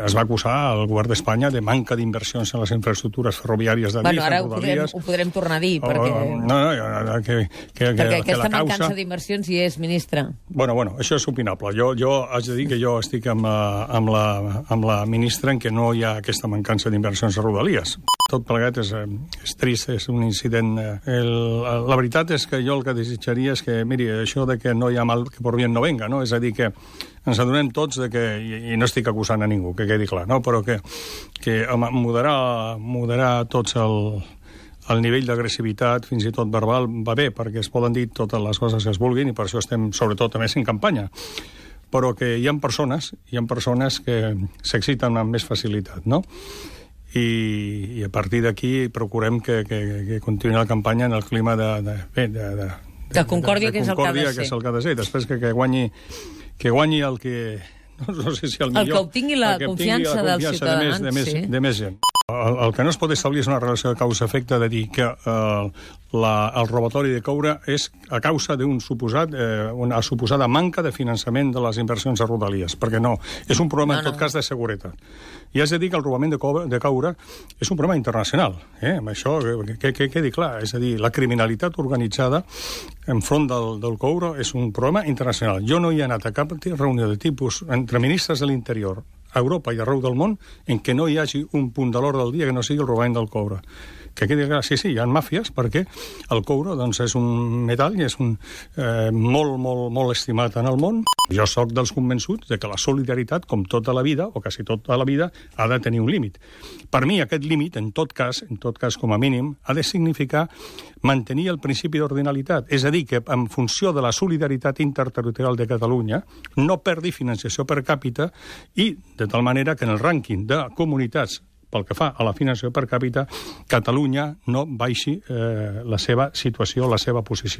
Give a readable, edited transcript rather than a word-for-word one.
es va acusar el govern d'Espanya de manca d'inversions en les infraestructures ferroviàries de Bueno, ara ho podrem tornar a dir, perquè... Perquè aquesta mancança d'inversions hi és, ministre. Bueno, això és opinable. Jo haig de dir que jo estic amb la ministra en què no hi ha aquesta mancança d'inversions a Rodalies. Tot plegat és trist, és un incident. La veritat és que jo el que desitjaria és que, miri, això de que no hi ha mal que por bien no venga, no? És a dir, que ens adonem tots de que, i no estic acusant a ningú, que quedi clar, no? Però que moderar tots el nivell d'agressivitat, fins i tot verbal, va bé, perquè es poden dir totes les coses que es vulguin, i per això estem, sobretot, a més en campanya. Però que hi ha persones que s'exciten amb més facilitat, no? I a partir d'aquí procurem que continuï la campanya en el clima de concòrdia, que és el que ha de ser. Després que guanyi el que... No sé si el millor... El que obtingui la confiança dels ciutadans, de més gent. El que no es pot establir és una relació de causa-efecte de dir que el robatori de coure és a causa una suposada manca de finançament de les inversions a Rodalies, perquè no, és un problema en tot cas de seguretat. I has de dir que el robament de coure és un problema internacional, amb això que quedi clar, és a dir, la criminalitat organitzada enfront del coure és un problema internacional. Jo no hi he anat a cap reunió de tipus entre ministres de l'Interior a Europa i arreu del món en què no hi hagi un punt de l'ordre del dia que no sigui el robament del coure. Que quedi clar, sí, hi ha màfies, perquè el coure doncs, és un metall i és molt estimat en el món. Jo sóc dels convençuts de que la solidaritat, com tota la vida, o quasi tota la vida, ha de tenir un límit. Per mi, aquest límit, en tot cas, com a mínim, ha de significar mantenir el principi d'ordinalitat. És a dir, que en funció de la solidaritat interterritorial de Catalunya no perdi financiació per càpita i de tal manera que en el rànquing de comunitats pel que fa a la finançació per càpita, Catalunya no baixi la seva situació, la seva posició.